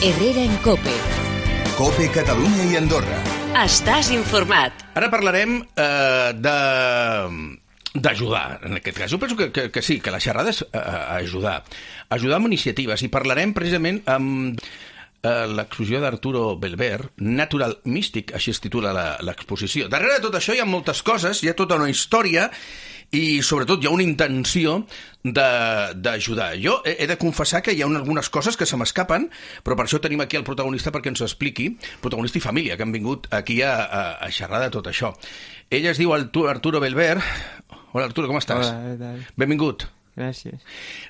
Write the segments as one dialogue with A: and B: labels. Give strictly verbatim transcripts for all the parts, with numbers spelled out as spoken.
A: Herrera en COPE.
B: COPE Catalunya i Andorra.
A: Estàs informat.
C: Ara parlarem eh, de... d'ajudar, en aquest cas. Jo penso que, que, que sí, que la xerrada és uh, ajudar. Ajudar amb iniciatives. I parlarem precisament amb uh, l'exposició d'Arturo Belver, Natural Mystic, així es titula l'exposició. Darrere de tot això hi ha moltes coses, hi ha tota una història i, sobretot, hi ha una intenció d'ajudar. Jo he, he de confessar que hi ha algunes coses que se m'escapen, però per això tenim aquí el protagonista perquè ens ho expliqui, protagonista i família, que han vingut aquí a, a, a xerrar de tot això. Ell es diu Arturo Belver. Hola, Arturo, com estàs?
D: Hola, què tal?
C: Benvingut.
D: Gràcies.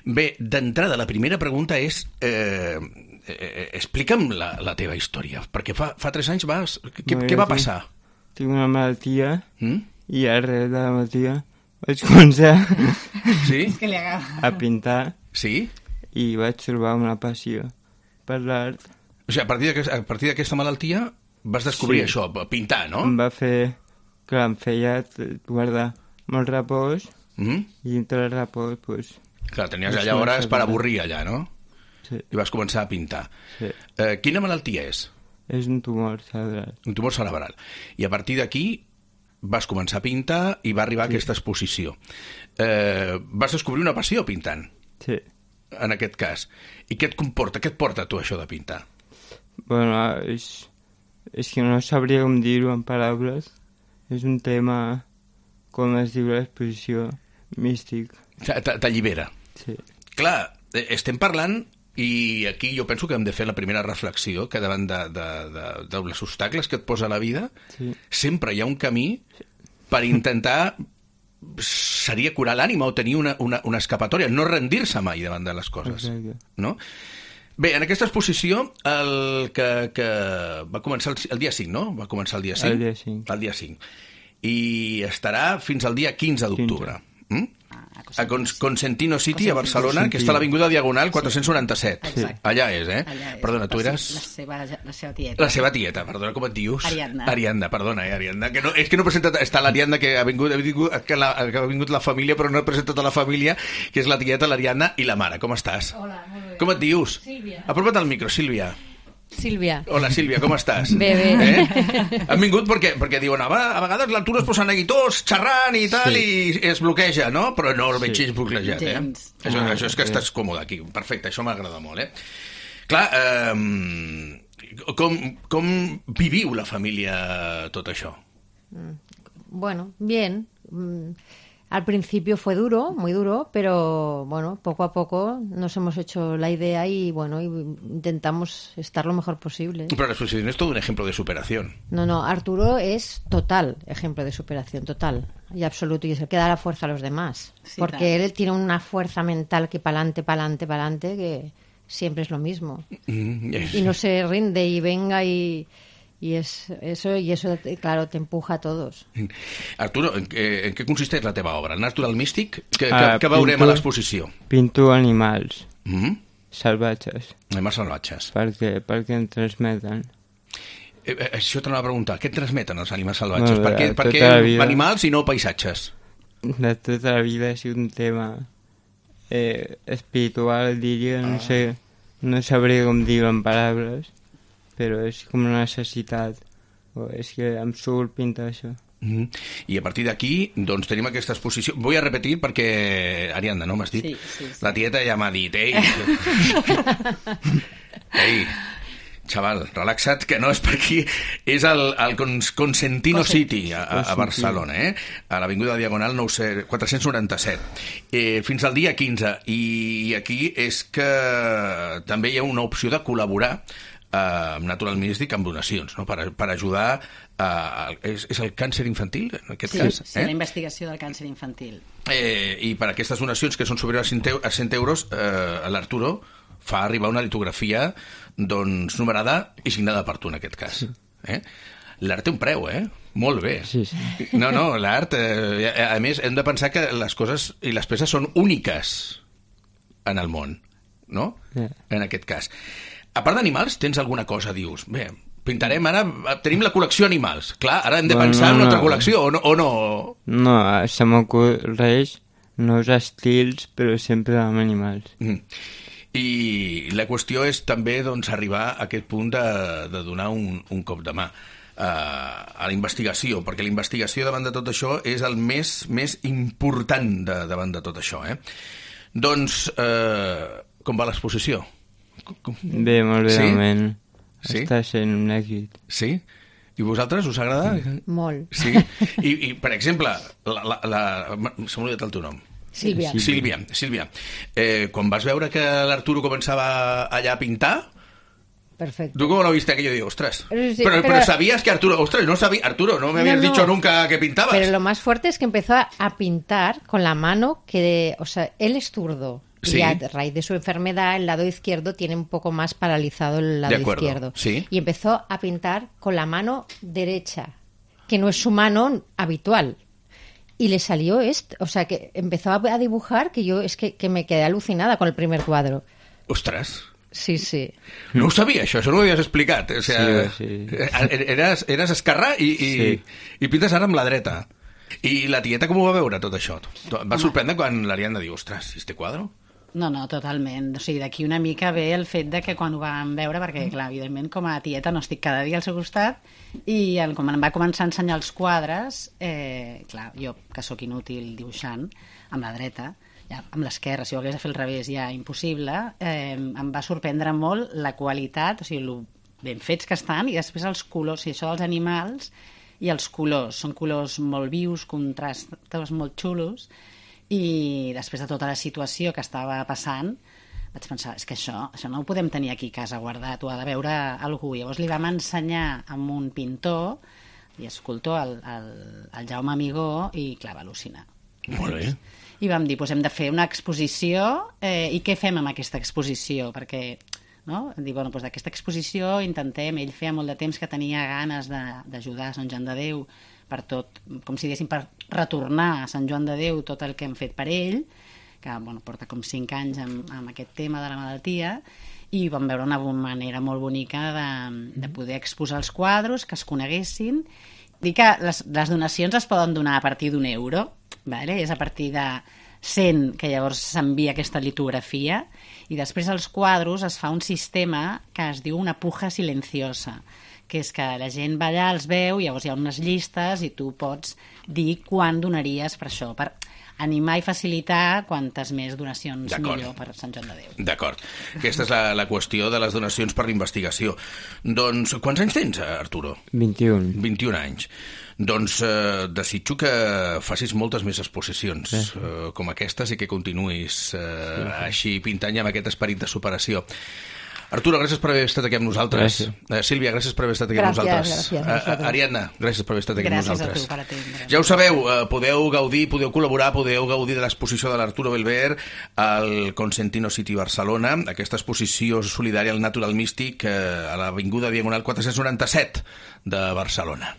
C: Bé, d'entrada, la primera pregunta és... Eh, eh, explica'm la, la teva història, perquè fa, fa tres anys vas... Què,
D: no,
C: què va passar?
D: Tinc una malaltia
C: mm?
D: i arrel de la malaltia vaig començar
C: sí?
D: a pintar
C: sí?
D: i vaig trobar una passió per l'art.
C: O sigui, a partir d'aquesta, a partir d'aquesta malaltia vas descobrir
D: sí.
C: això, pintar, no?
D: Em va fer... que em feia guardar molt repòs
C: mm?
D: i dintre del repòs pues,
C: clar, tenies allà hores per avorrir allà, no?
D: Sí.
C: I vas començar a pintar.
D: Sí.
C: Eh, quina malaltia és?
D: És un tumor cerebral.
C: Un tumor cerebral. I a partir d'aquí vas començar a pintar i va arribar sí. aquesta exposició. Eh, vas descobrir una passió pintant.
D: Sí.
C: En aquest cas. I què et comporta? Què et porta tu això de pintar?
D: Bueno, és, és que no sabria com dir-ho en paraules. És un tema, com es diu l'exposició, místic.
C: T'allibera.
D: Sí.
C: Clar, estem parlant, i aquí jo penso que hem de fer la primera reflexió, que davant de, de, de, de dels obstacles que et posa la vida, sí. sempre hi ha un camí per intentar, seria curar l'ànima o tenir una, una, una escapatòria, no rendir-se mai davant de les coses.
D: Exacte.
C: No? Bé, en aquesta exposició, el que, que va començar el, el dia cinc, no? Va començar el dia cinc?
D: El dia cinc.
C: El dia cinc. I estarà fins al dia quinze d'octubre. Mm? A Consentino City, a Barcelona, que està a l'Avinguda Diagonal quatre-cents noranta-set.
E: Sí.
C: Allà és, eh?
E: Allà és.
C: Perdona, tu eres...
E: La seva, la seva tieta.
C: La seva tieta, perdona, com et dius?
E: Ariadna.
C: Ariadna, perdona, eh, Ariadna. Que no, és que no he presentat... Està l'Ariadna, que ha vingut, ha vingut, que, la, que ha vingut la família, però no he presentat a la família, que és la tieta, l'Ariadna i la mare. Com estàs?
E: Hola, molt bé.
C: Com et dius?
E: Sílvia.
C: Apropa't al micro, Sílvia.
F: Sílvia.
C: Hola, Sílvia, com estàs?
F: Bé, bé.
C: Eh? Han vingut perquè, perquè diuen, a vegades l'Arturo es posen aquí tots xerrant i tal, sí. i es bloqueja, no? Però no el veig sí. bloquejat, eh? Això, ah, això és que sí. estàs còmode aquí. Perfecte, això m'agrada molt, eh? Clar, eh, com, com viviu la família tot això?
F: Bueno, bien. Al principio fue duro, muy duro, pero bueno, poco a poco nos hemos hecho la idea y bueno, y intentamos estar lo mejor posible.
C: Pero la exposición es todo un ejemplo de superación.
F: No, no, Arturo es total ejemplo de superación, total y absoluto, y es el que da la fuerza a los demás. Sí, porque claro. él tiene una fuerza mental que pa'lante, pa'lante, pa'lante, que siempre es lo mismo. Mm, yes. Y no se rinde y venga y... Y es, eso, y eso, claro, te empuja a todos.
C: Arturo, en què, en què consisteix la teva obra? Natural Mystic? Que,
D: uh,
C: que, que veurem
D: pinto,
C: a l'exposició?
D: Pinto animals
C: mm-hmm.
D: salvatges.
C: Animals salvatges.
D: Perquè, perquè en transmeten.
C: Eh, eh, això t'anava a preguntar. Què et transmeten els animals salvatges?
D: No,
C: per què, per què animals i no paisatges?
D: De tota la vida ha sigut un tema eh, espiritual, diria, no ah. sé, no sabria com dir-ho en paraules, però és com una necessitat. O és que em surt pintar això.
C: Mm-hmm. I a partir d'aquí, doncs, tenim aquesta exposició. Vull a repetir perquè, Ariadna, no m'has dit?
E: Sí, sí, sí.
C: La tieta ja m'ha dit, ei, ei, xaval, relaxa't, que no és per aquí. És el, el Consentino City, a, a Barcelona, eh? A l'Avinguda Diagonal quatre-cents noranta-set. Eh, fins al dia quinze. I aquí és que també hi ha una opció de col·laborar amb uh, Natural Mystic amb donacions, no? per, per ajudar a, a, és, és el càncer infantil en aquest
E: sí,
C: cas?
E: Sí, eh? la investigació del càncer infantil.
C: Eh, I per aquestes donacions que són superiors a cent euros, eh, l'Arturo fa arribar una litografia doncs numerada i signada per tu en aquest cas. Sí. Eh? L'art té un preu, eh? Molt bé.
D: Sí, sí.
C: No, no, l'art, eh, a més, hem de pensar que les coses i les peces són úniques en el món, no?
D: Yeah.
C: En aquest cas. A part d'animals, tens alguna cosa, dius? Bé, pintarem ara... Tenim la col·lecció animals. Clar, ara hem de
D: bueno,
C: pensar
D: no,
C: en una
D: no.
C: altra col·lecció, o no? O no,
D: no se m'ocorreix nous estils, però sempre amb animals.
C: Mm. I la qüestió és també doncs, arribar a aquest punt de, de donar un, un cop de mà uh, a la investigació, perquè la investigació davant de tot això és el més, més important de, davant de tot això. Eh? Doncs, uh, com va l'exposició? Com...
D: Bé, molt bé,
C: sí?
D: moment.
C: Sí?
D: Està sent un èxit.
C: Sí? I vosaltres, us agrada?
F: Molt.
C: Sí? I, i per exemple, la, la, la... se m'ha oblidat el teu nom.
F: Sílvia.
C: Sílvia, Sílvia. Eh, quan vas veure que l'Arturo començava allà a pintar,
F: Perfecto.
C: ¿tú cómo lo viste aquello? Digo, ostras.
F: Sí,
C: pero,
F: pero-
C: pero sabías que Arturo... Ostras, no sabía... Arturo, no me habías
F: No, no.
C: dicho nunca que pintabas.
F: Pero lo más fuerte es que empezó a, a pintar con la mano que, o sea, él es zurdo.
C: Sí.
F: Y a raíz de su enfermedad, el lado izquierdo tiene un poco más paralizado el lado
C: De acuerdo,
F: izquierdo.
C: sí.
F: Y empezó a pintar con la mano derecha, que no es su mano habitual. Y le salió esto, o sea, que empezó a a dibujar, que yo es que, que me quedé alucinada con el primer cuadro.
C: Ostras.
F: Sí, sí.
C: No ho sabia, això, això no ho havies explicat. O sea,
D: Sí, sí.
C: Eres, eres esquerrà i, i,
D: Sí.
C: i pintes ara amb la dreta. I la tieta com ho va veure, tot això? Et va sorprendre quan l'Ariadna diu, ostras, ¿este quadro?
E: No, no, totalment. O sigui, d'aquí una mica ve el fet de que quan ho vam veure, perquè, clar, evidentment, com a tieta no estic cada dia al seu costat, i el, com em va començar a ensenyar els quadres, eh, clar, jo, que sóc inútil dibuixant, amb la dreta, ja, amb l'esquerra, si ho hagués de fer al revés ja impossible, eh, em va sorprendre molt la qualitat, o sigui, lo ben fets que estan, i després els colors, o sigui, això dels animals i els colors, són colors molt vius, contrastos molt xulos, i després de tota la situació que estava passant vaig pensar, és que això, això no ho podem tenir aquí a casa guardat, ho ha de veure algú. Llavors li vam ensenyar amb un pintor i escultor, el, el, el Jaume Amigó, i clar, va al·lucinar.
C: Molt bé.
E: I vam dir, doncs hem de fer una exposició, eh, i què fem amb aquesta exposició? Perquè, no? Dir, bueno, doncs d'aquesta exposició intentem, ell feia molt de temps que tenia ganes de- d'ajudar a Sant Joan de Déu per tot, com si diguéssim, per retornar a Sant Joan de Déu tot el que hem fet per ell, que bueno, porta com cinc anys amb, amb aquest tema de la malaltia, i vam veure una manera molt bonica de, de poder exposar els quadros, que es coneguessin. Dic que les, les donacions es poden donar a partir d'un euro, vale? És a partir de cent que llavors s'envia aquesta litografia, i després als quadros es fa un sistema que es diu una puja silenciosa, que és que la gent va allà, els veu, llavors hi ha unes llistes i tu pots dir quan donaries per això, per animar i facilitar quantes més donacions
C: D'acord.
E: millor per Sant Joan de Déu.
C: D'acord. Aquesta és la, la qüestió de les donacions per l'investigació. Doncs, quants anys tens, Arturo?
D: vint-i-un.
C: vint-i-un anys. Doncs eh, desitjo que facis moltes més exposicions
D: Sí.
C: eh, com aquestes i que continuïs eh, així pintant i amb aquest esperit de superació. Arturo, gràcies per haver estat aquí amb nosaltres. Eh, Sílvia, gràcies per haver estat aquí amb
F: Gràcies,
C: nosaltres.
F: gràcies a
C: Eh,
F: vosaltres.
C: Ariadna, gràcies per haver estat aquí
E: Gràcies
C: amb
E: a
C: nosaltres.
E: tu per atendre'ns.
C: Ja ho sabeu, eh, podeu gaudir, podeu col·laborar, podeu gaudir de l'exposició de l'Arturo Belver al Consentino City Barcelona, aquesta exposició solidària al Natural Místic eh, a l'Avinguda Diagonal quatre-cents noranta-set de Barcelona.